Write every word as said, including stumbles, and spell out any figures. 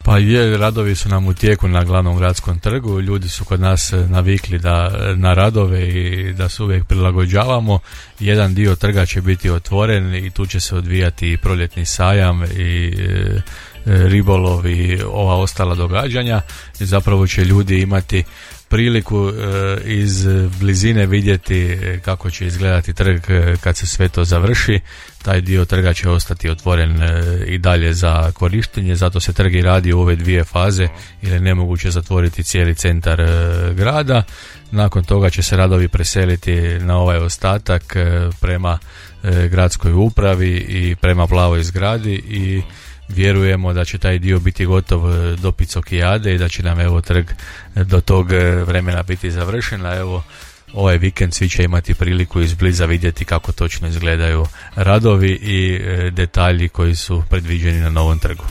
Pa je, radovi su nam u tijeku na glavnom gradskom trgu, ljudi su kod nas navikli da, na radove i da se uvijek prilagođavamo. Jedan dio trga će biti otvoren i tu će se odvijati i proljetni sajam i e, ribolov i ova ostala događanja i zapravo će ljudi imati priliku e, iz blizine vidjeti kako će izgledati trg kad se sve to završi. Taj dio trga će ostati otvoren e, i dalje za korištenje, zato se trg i radi u ove dvije faze jer je nemoguće zatvoriti cijeli centar e, grada. Nakon toga će se radovi preseliti na ovaj ostatak e, prema e, gradskoj upravi i prema plavoj zgradi i vjerujemo da će taj dio biti gotov do Picokijade i da će nam evo trg do tog vremena biti završen, a evo ovaj vikend svi će imati priliku izbliza vidjeti kako točno izgledaju radovi i detalji koji su predviđeni na novom trgu.